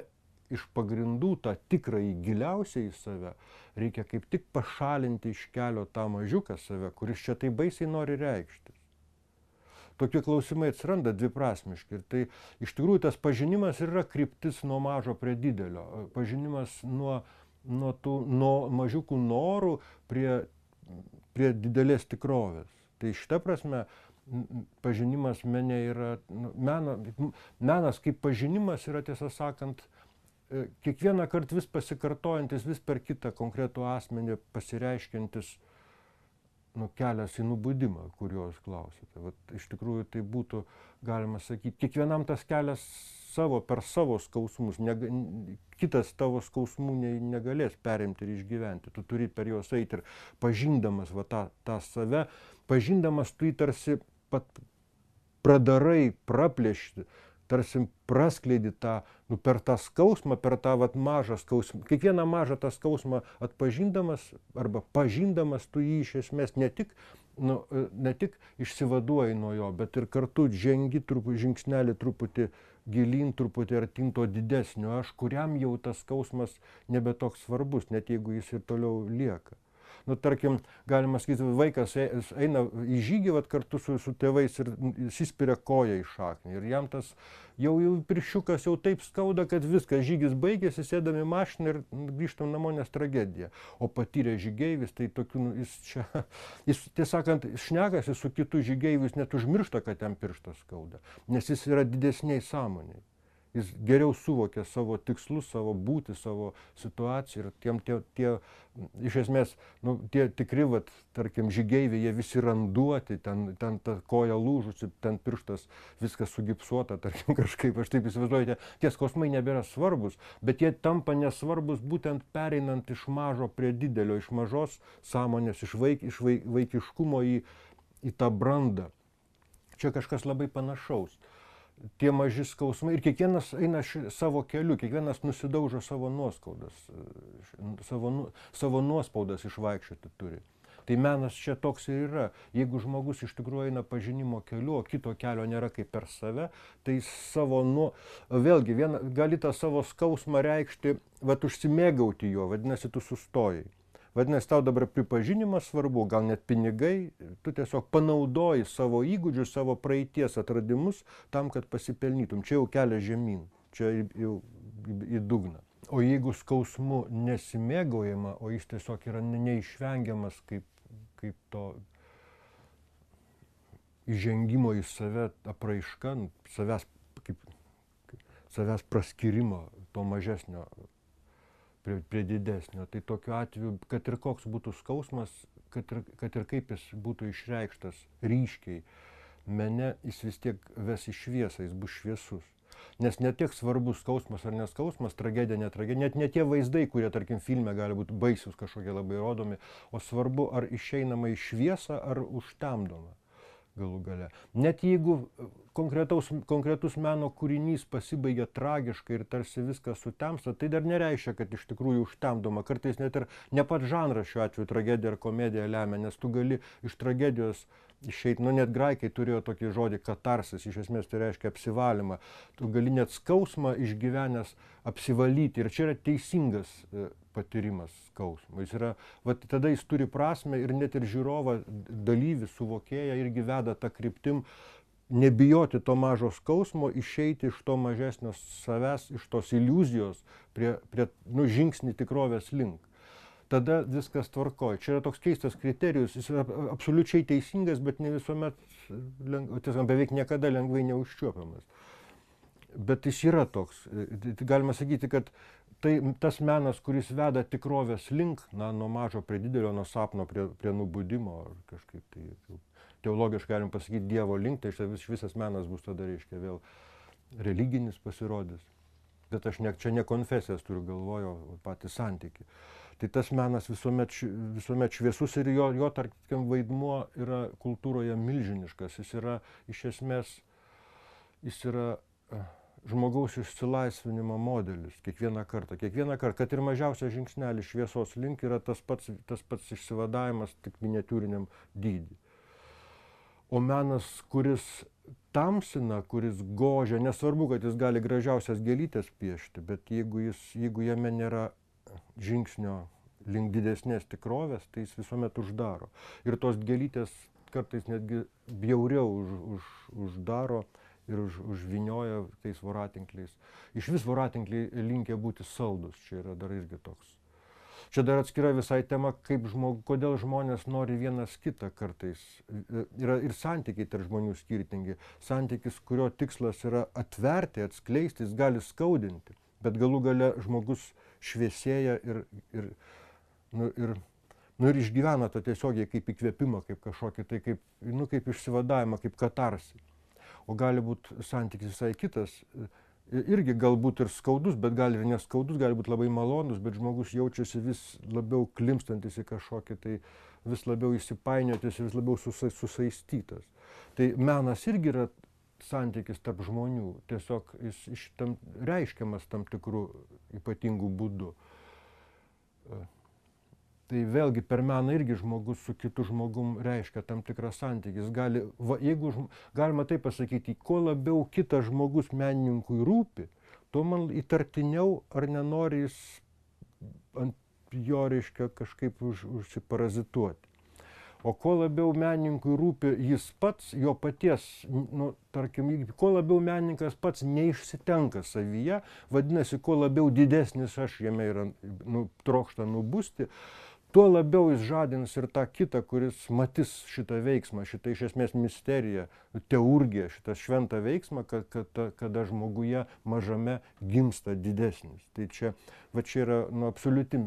iš pagrindų, tą tikrąjį giliausiai į save, reikia kaip tik pašalinti iš kelio tą mažiuką save, kuris čia tai baisiai nori reikštis. Tokie klausimai atsiranda dviprasmiški. Ir tai iš tikrųjų tas pažinimas yra kryptis nuo mažo prie didelio. Pažinimas nuo mažiukų norų prie didelės tikrovės. Tai šita prasme pažinimas mene yra, menas kaip pažinimas yra, tiesą sakant, kiekvieną kartą vis pasikartojantis, vis per kitą konkretų asmenį pasireiškiantis kelias į nubudimą, kurio jūs klausėte. Vat iš tikrųjų tai būtų, galima sakyti, kiekvienam tas kelias per savo skausmus. Kitas tavo skausmų negalės perimti ir išgyventi. Tu turi per juos eiti ir pažindamas tą save, pažindamas tu jį tarsi pradarai, praplėšti, tarsi praskleidi tą, per tą skausmą, per tą mažą skausmą. Kiekvieną mažą tą skausmą atpažindamas arba pažindamas, tu jį iš esmės ne tik išsivaduoji nuo jo, bet ir kartu žengi žingsnelį truputį gilyn, truputį artyn to didesnio aš, kuriam jau tas skausmas nebe toks svarbus, net jeigu jis ir toliau lieka. Tarkim, galima sakyti, vaikas eina į žygį kartu su tėvais ir įsispiria koją į šaknį. Ir jam tas jau pirščiukas jau taip skauda, kad viskas, žygis baigėsi, sėdam į mašiną ir grįžtam namo, nes tragedija. O patyrė žygeivis, tai tokių, jis tiesąkant, šnekasi su kitu žygeiviu, jis net užmiršta, kad jam pirštas skauda, nes jis yra didesniai sąmoniai. Jis geriau suvokia savo tikslus, savo būtį, savo situaciją ir tie iš esmės, tie tikri, tarkim, žygeiviai, jie visi randuoti, ten ta koja lūžusi, ten pirštas viskas sugipsuota, tarkim, kažkaip, aš taip įsivaizduoju, tie skausmai nebėra svarbus, bet jie tampa nesvarbus būtent pereinant iš mažo prie didelio, iš mažos sąmonės, iš vaikiškumo į tą brandą. Čia kažkas labai panašaus. Tie maži skausmai ir kiekvienas eina savo keliu, kiekvienas nusidaužo savo nuoskaudas, savo nuospaudas išvaikščioti turi. Tai menas čia toks ir yra. Jeigu žmogus iš tikrųjų eina pažinimo keliu, o kito kelio nėra kaip per save, tai vėlgi gali tą savo skausmą reikšti, užsimėgauti juo, vadinasi, tu sustojai. Vadinasi, tau dabar pripažinimas svarbu, gal net pinigai, tu tiesiog panaudoji savo įgūdžius, savo praeities atradimus tam, kad pasipelnytum. Čia jau kelias žemyn, čia jau į dugną. O jeigu skausmu nesimėgaujama, o jis tiesiog yra neišvengiamas kaip to įžengimo į save apraiška, savęs praskyrimo, to mažesnio prie didesnio. Tai tokiu atveju, kad ir koks būtų skausmas, kad ir kaip jis būtų išreikštas ryškiai, mene jis vis tiek ves į šviesą, jis bus šviesus. Nes ne tiek svarbus skausmas ar neskausmas, tragedija, netragedija, net ne tie vaizdai, kurie, tarkim, filme gali būti baisūs kažkokie labai rodomi, o svarbu, ar išeinama į šviesą, ar užtemdoma galų gale. Net jeigu konkretus meno kūrinys pasibaigia tragiškai ir tarsi viskas sutemsta, tai dar nereiškia, kad iš tikrųjų užtemdoma. Kartais net ir ne pats žanras šiuo atveju tragedija ar komedija lemia, nes tu gali iš tragedijos išeiti, net graikai turėjo tokį žodį katarsis, iš esmės tai reiškia apsivalymą. Tu gali net skausmą išgyvenęs apsivalyti ir čia yra teisingas patyrimas skausmo. Tada jis turi prasmę ir net ir žiūrovą, dalyvį, suvokėją irgi veda tą kryptim, nebijoti to mažo skausmo, išeiti iš to mažesnio savęs, iš tos iliuzijos prie žingsnį tikrovės link. Tada viskas tvarkoja. Čia yra toks keistas kriterijus, jis yra absoliučiai teisingas, bet ne visuomet, beveik niekada lengvai neužčiuopiamas. Bet jis yra toks. Galima sakyti, kad tas menas, kuris veda tikrovės link, nuo mažo prie didelio, nuo sapno prie nubudimo, ar kažkaip tai teologiškai galim pasakyti Dievo link, tai visas menas bus tada, reiškia, vėl religinis pasirodys. Bet aš čia ne konfesijas turiu galvoje, o patį santykį. Tai tas menas visuomet šviesus ir jo tarkim, vaidmuo yra kultūroje milžiniškas. Jis yra, iš esmės, žmogaus išsilaisvinimo modelis kiekvieną kartą, kad ir mažiausias žingsnelis šviesos link yra tas pats išsivadavimas tik miniatiūriniam dydį. O menas, kuris tamsina, kuris gožia, nesvarbu, kad jis gali gražiausias gėlytės piešti, bet jeigu jame nėra žingsnio link didesnės tikrovės, tai jis visuomet uždaro. Ir tos gėlytės kartais netgi bjauriau uždaro ir užvinioja tais voratinkliais. Iš vis voratinkliai linkę būti saldus, čia yra dar irgi toks. Čia dar atskira visai tema, kodėl žmonės nori vienas kitą kartais. Yra ir santykiai tarp žmonių skirtingi. Santykis, kurio tikslas yra atverti, atskleisti, jis gali skaudinti, bet galų gale žmogus šviesėja ir Nu ir išgyvena tą tiesiogiai kaip įkvėpimą, kaip kažkokį, tai kaip, nu, kaip išsivadavimą, kaip katarsį. O gali būti santykis visai kitas, irgi galbūt ir skaudus, bet gali ir neskaudus, gali būti labai malonus, bet žmogus jaučiasi vis labiau klimpstantis į kažkokį, tai vis labiau įsipainiotis, vis labiau susaistytas. Tai menas irgi yra santykis tarp žmonių, tiesiog jis reiškiamas tam tikrų ypatingų būdų. Tai vėlgi per meną irgi žmogus su kitu žmogum reiškia tam tikrą santykį. Jis gali, jeigu galima taip pasakyti, kuo labiau kitas žmogus menininkui rūpi, tuo man įtartiniau, ar nenori jis ant jo reiškia kažkaip užsiparazituoti. O kuo labiau menininkui rūpi jis pats, jo paties, nu, tarkim, kuo labiau menininkas pats neišsitenka savyje, vadinasi, kuo labiau didesnis aš jame yra, nu, trokšta nubusti, tuo labiau jis žadins ir tą kitą, kuris matys šitą veiksmą, šitą iš esmės misteriją, teurgiją, šitą šventą veiksmą, kada žmoguje mažame gimsta didesnis. Tai čia, va čia yra, nu, absoliuti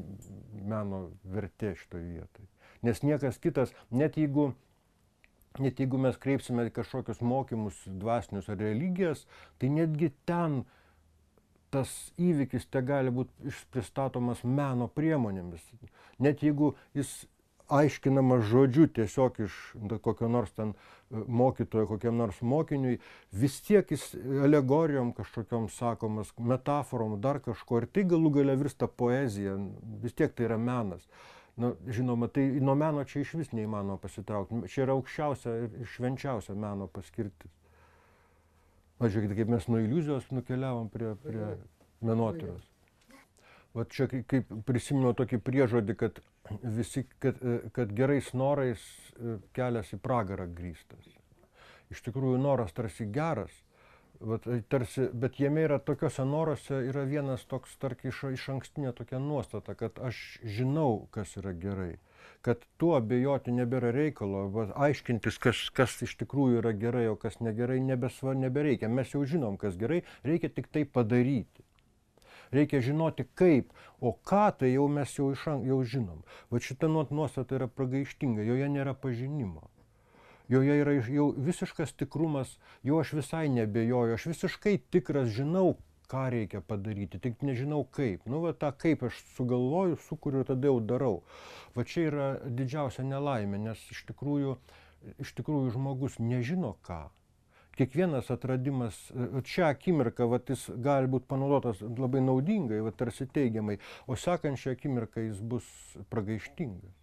meno vertė šitoje vietoje. Nes niekas kitas, net jeigu mes kreipsime kažkokius mokymus dvasinius ar religijas, tai netgi ten tas įvykis te gali būti pristatomas meno priemonėmis. Net jeigu jis aiškinamas žodžiu tiesiog iš kokio nors ten mokytojo, kokiam nors mokiniui, vis tiek jis alegorijom kažkokiom sakomas, metaforom, dar kažko, ir tai galų gale virsta poezija, vis tiek tai yra menas. Na, žinoma, tai nuo meno čia iš vis neįmanoma pasitraukti. Čia yra aukščiausia ir švenčiausia meno paskirtis. Žiūrėkite, kaip mes nuo iliuzijos nukeliavom prie menotyros. Va čia kaip prisiminiau tokį priežodį, kad gerais norais kelias į pragarą grįstas. Iš tikrųjų, noras tarsi geras, bet jame yra tokiuose noruose yra vienas toks, tarkim, iš ankstinė tokia nuostata, kad aš žinau, kas yra gerai, kad tuo abejoti nebėra reikalo, aiškintis, kas iš tikrųjų yra gerai, o kas negerai, nebereikia. Mes jau žinom, kas gerai, reikia tik tai padaryti. Reikia žinoti kaip, o ką tai jau mes jau žinom. Va šita nuostata yra pragaištinga, joje nėra pažinimo. Joje yra jau visiškas tikrumas, jau aš visai nebejoju, aš visiškai tikras žinau, ką reikia padaryti, tik nežinau kaip. Nu, va tą kaip aš sugalvoju, sukuriu, tada jau darau. Va čia yra didžiausia nelaimė, nes iš tikrųjų žmogus nežino ką. Kiekvienas atradimas, šią akimirką, va, jis gali būti panaudotas labai naudingai, va, tarsi teigiamai, o sekančią akimirką jis bus pragaištingas.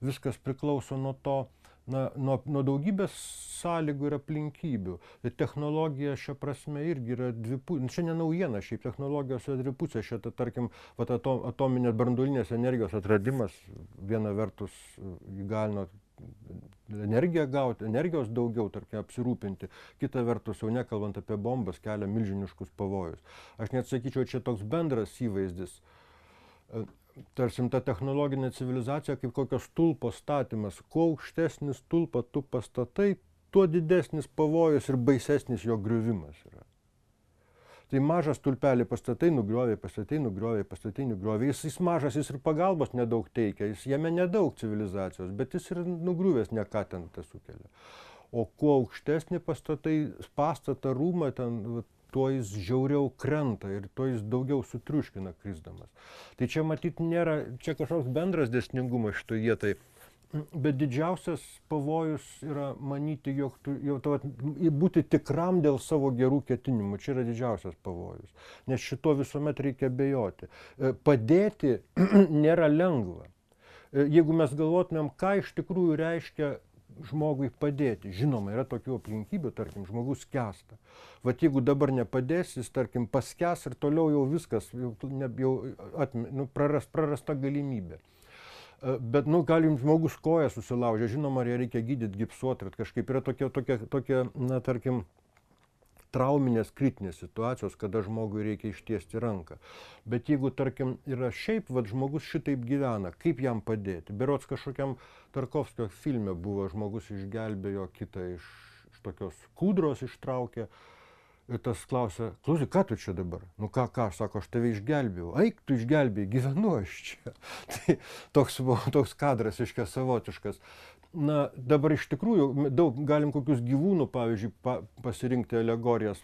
Viskas priklauso nuo to, nuo daugybės sąlygų ir aplinkybių. Technologija šia prasme irgi yra dvipusė. Čia ne naujiena, šiaip technologijos yra dvipusė. Šitą, tarkim, atominės branduolinės energijos atradimas viena vertus įgalino energiją gauti, energijos daugiau, tarkim, apsirūpinti. Kita vertus, jau nekalbant apie bombas, kelia milžiniškus pavojus. Aš net sakyčiau, čia toks bendras įvaizdis. Tarsim, ta technologinė civilizacija kaip kokios stulpo statymas. Kuo aukštesnis stulpą tu pastatai, tuo didesnis pavojus ir baisesnis jo griuvimas yra. Tai mažą stulpelį pastatai, nugriovė. Jis mažas, jis ir pagalbos nedaug teikia, jame nedaug civilizacijos, bet jis ir nugriuvęs ne ką ten tą sukelia. O kuo aukštesnį pastatą, rūmą ten, tuo jis žiauriau krenta ir tuo jis daugiau sutriuškina krisdamas. Tai čia matyt nėra, čia kažkoks bendras dėsningumas šitoje vietoje, bet didžiausias pavojus yra manyti, jog būti tikram dėl savo gerų ketinimų. Čia yra didžiausias pavojus, nes šito visuomet reikia abejoti. Padėti nėra lengva. Jeigu mes galvotumėm, ką iš tikrųjų reiškia žmogui padėti. Žinoma, yra tokių aplinkybių, tarkim, žmogus skęsta. Vat jeigu dabar nepadės, jis, tarkim, paskęs ir toliau jau viskas, prarasta galimybė. Bet, gali jums žmogus koją susilaužė, žinoma, ją reikia gydyti, gipsuoti, ir kažkaip yra tokia, tarkim, trauminės kritinės situacijos, kada žmogui reikia ištiesti ranką. Bet jeigu, tarkim, yra šiaip, žmogus šitaip gyvena, kaip jam padėti? Berods kažkokiam Tarkovskio filme buvo, žmogus išgelbėjo kitą iš tokios kūdros ištraukė Ir tas klausia, klausyk, ką tu čia dabar? Nu ką, sako, aš tave išgelbėjau. Eik, tu išgelbėjai, gyvenu aš čia. Tai toks kadras, iškia, savotiškas. Na, dabar iš tikrųjų daug galim kokius gyvūnų, pavyzdžiui, pasirinkti alegorijas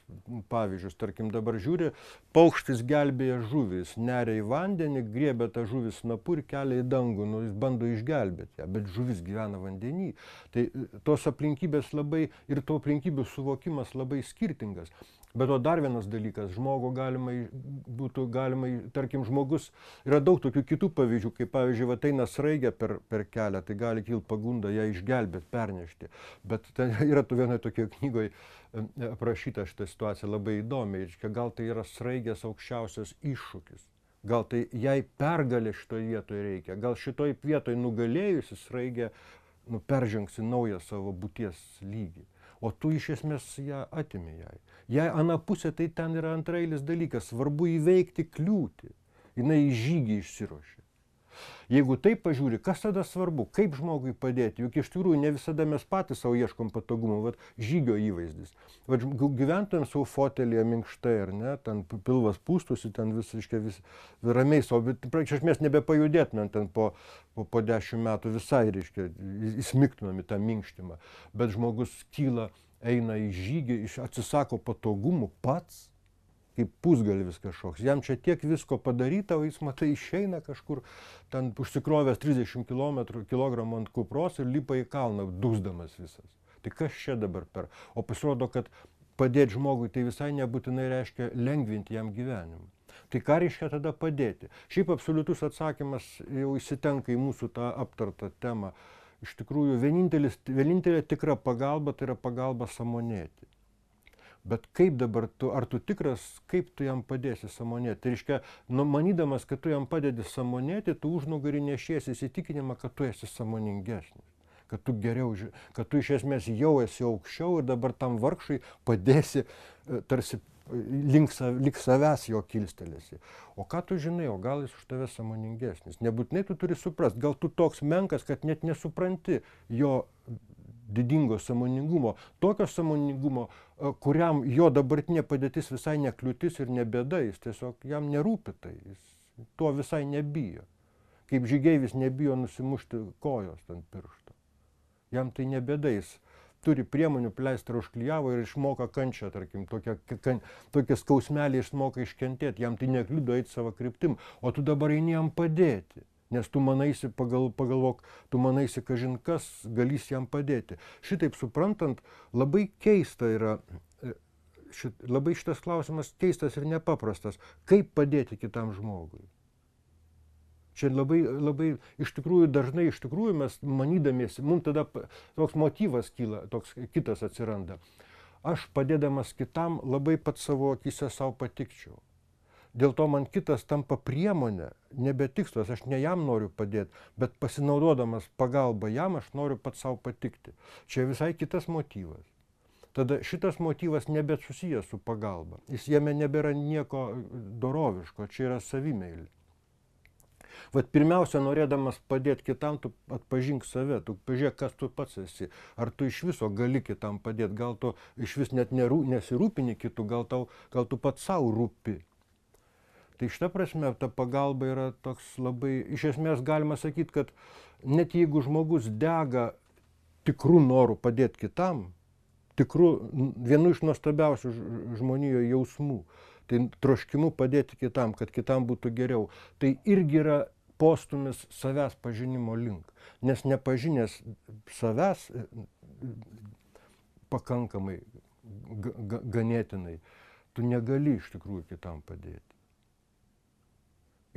pavyzdžius. Tarkim, dabar žiūri, paukštis gelbėja žuvis, neria į vandenį, griebia tą žuvį snapu ir kelia į dangų, nu, jis bando išgelbėti ją, bet žuvis gyvena vandenį. Tai tos aplinkybės labai, ir to aplinkybių suvokimas labai skirtingas. Bet to dar vienas dalykas, žmogų būtų galima, tarkim, žmogus, yra daug tokių kitų pavyzdžių, kaip pavyzdžiui, va eina sraigė per kelią, tai gali kilti pagunda ją išgelbėti, pernešti. Bet ten yra vienoje tokioje knygoje aprašyta šitą situaciją labai įdomiai, gal tai yra sraigės aukščiausias iššūkis. Gal tai jai pergalė šitoje vietoje reikia, gal šitoje vietoje nugalėjusi sraigė peržengsi naują savo būties lygį. O tu iš esmės ją atimi jai. Jei ana pusė, tai ten yra antrailis dalykas, svarbu įveikti kliūtį. Jinai į žygį išsiruošė. Jeigu taip pažiūri, kas tada svarbu, kaip žmogui padėti, juk iš tikrųjų ne visada mes patys savo ieškom patogumų, vat žygio įvaizdis. Vat gyventojam savo fotelėje minkštai, ar ne, ten pilvas pūstusi, ten vis ramiai savo, bet iš esmės nebepajudėtumėm ten po 10 metų visai, reiškia, įsmigtumėm į tą minkštimą. Bet žmogus kyla, eina į žygį, atsisako patogumų pats, kaip pusgalvis kažkoks. Jam čia tiek visko padaryta, o jis, matai, išeina kažkur, ten užsikrovęs 30 kilogramų ant kupros ir lipa į kalną, dūsdamas visas. Tai kas čia dabar per? O pasirodo, kad padėti žmogui tai visai nebūtinai reiškia lengvinti jam gyvenimą. Tai ką reiškia tada padėti? Šiaip absoliutus atsakymas jau įsitenka į mūsų tą aptartą temą. Iš tikrųjų, vienintelė tikra pagalba tai yra pagalba sąmonėti. Bet kaip dabar ar tu tikras, kaip tu jam padėsi sąmonėti? Tai reiškia, manydamas, kad tu jam padedi sąmonėti, tu užnugarį nešiesi įsitikinimą, kad tu esi sąmoningesnis. Kad tu geriau, kad tu iš esmės jau esi aukščiau ir dabar tam vargšui padėsi tarsi link savęs jo kilstelėsi. O ką tu žinai, o gal jis už tave sąmoningesnis? Nebūtinai tu turi suprast, gal tu toks menkas, kad net nesupranti jo didingo sąmoningumo, tokio sąmoningumo, kuriam jo dabartinė padėtis visai nekliūtis ir ne bėda, jis tiesiog jam nerūpi tai, jis to visai nebijo. Kaip žygeivis nebijo nusimušti kojos ant piršto. Jam tai ne bėda, jis turi priemonių, pleistrą užklijavo ir išmoka kančią, tarkim, tokie skausmelį išmoka iškentėti, jam tai nekliudo eiti savo kryptim, o tu dabar eini jam padėti. Nes tu manaisi, pagalvok, tu manaisi, kažin kas galys jam padėti. Šitaip suprantant, labai keista yra, labai šitas klausimas keistas ir nepaprastas. Kaip padėti kitam žmogui? Čia labai iš tikrųjų dažnai mes manydamiesi, mums tada toks motyvas kyla, toks kitas atsiranda. Aš padėdamas kitam labai pat savo akyse savo patikčiau. Dėl to man kitas tampa priemonė, nebe tikslas, aš ne jam noriu padėti, bet pasinaudodamas pagalbą jam aš noriu pats savo patikti. Čia visai kitas motyvas. Tada šitas motyvas nebet susijęs su pagalba. Jame nebėra nieko doroviško, čia yra savimeilė. Vat pirmiausia, norėdamas padėti kitam, tu atpažink save, tu pažiūrėk, kas tu pats esi. Ar tu iš viso gali kitam padėti, gal tu iš vis net nesirūpini kitų, gal tu pats savo rūpi. Tai šita prasme, ta pagalba yra toks labai, iš esmės galima sakyti, kad net jeigu žmogus dega tikrų norų padėti kitam, vienu iš nuostabiausių žmonijoje jausmų, tai troškimu padėti kitam, kad kitam būtų geriau, tai irgi yra postumis savęs pažinimo link. Nes nepažinęs savęs pakankamai, ganėtinai, tu negali iš tikrųjų kitam padėti.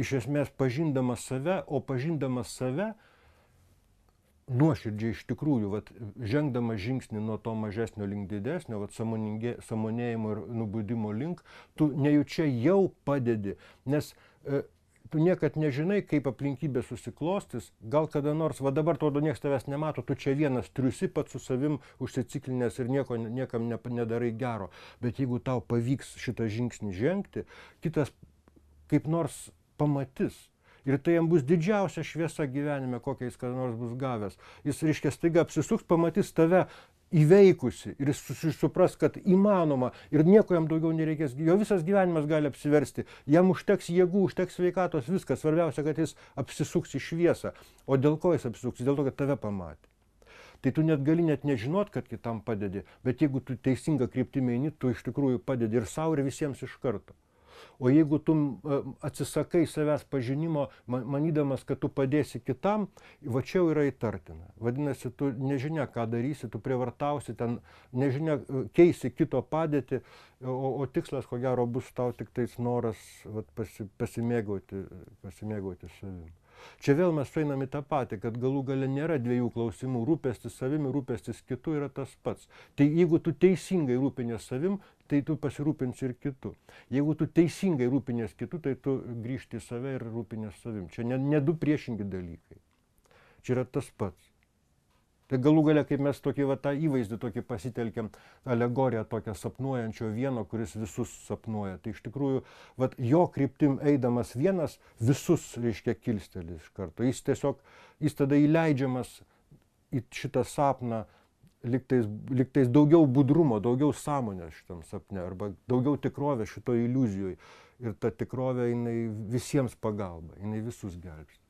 Iš esmės pažindamas save, o pažindamas save nuoširdžiai iš tikrųjų, žengdamas žingsnį nuo to mažesnio link didesnio, sąmonėjimo ir nubudimo link, tu nejučia jau padedi, nes tu niekad nežinai, kaip aplinkybė susiklostys, gal kada nors, dabar atrodo, niekas tavęs nemato, tu čia vienas triusi pats su savim užsiciklinęs ir niekam nedarai gero, bet jeigu tau pavyks šitą žingsnį žengti, kitas kaip nors pamatys. Ir tai jam bus didžiausia šviesa gyvenime, kokia jis kada nors bus gavęs. Jis, reiškia, staiga apsisuks, pamatys tave įveikusi ir jis supras, kad įmanoma ir nieko jam daugiau nereikės, jo visas gyvenimas gali apsiversti, jam užteks jėgų, užteks sveikatos, viskas, svarbiausia, kad jis apsisuks į šviesą. O dėl ko jis apsisuks? Dėl to, kad tave pamatė. Tai tu net gali net nežinot, kad kitam padedi, bet jeigu tu teisinga kryptimi eini, tu iš tikrųjų padedi ir sau, ir visiems iš karto. O jeigu tu atsisakai savęs pažinimo, manydamas, kad tu padėsi kitam, va čia jau yra įtartina. Vadinasi, tu nežinia, ką darysi, tu prievartausi, ten nežinia, keisi kito padėtį, o tikslas, ko gero, bus tau tik tais noras vat, pasimėgauti savimi. Čia vėl mes einam į tą patį, kad galų gale nėra dviejų klausimų, rūpestis savimi, rūpestis kitu yra tas pats. Tai jeigu tu teisingai rūpinės savim, tai tu pasirūpinsi ir kitu. Jeigu tu teisingai rūpinės kitu, tai tu grįžti į save ir rūpinės savim. Čia ne du priešingi dalykai. Čia yra tas pats. Tai galų gale, kaip mes tokį va, tą įvaizdį tokį pasitelkiam, alegoriją tokią sapnuojančio vieno, kuris visus sapnuoja. Tai iš tikrųjų, va, jo kryptim eidamas vienas visus, reiškia, kilsteli iš karto. Jis tada įleidžiamas į šitą sapną, liktais daugiau budrumo, daugiau sąmonės šitam sapne, arba daugiau tikrovės šito iliuzijoje. Ir ta tikrovė, jinai visiems pagalba, jinai visus gelbsti.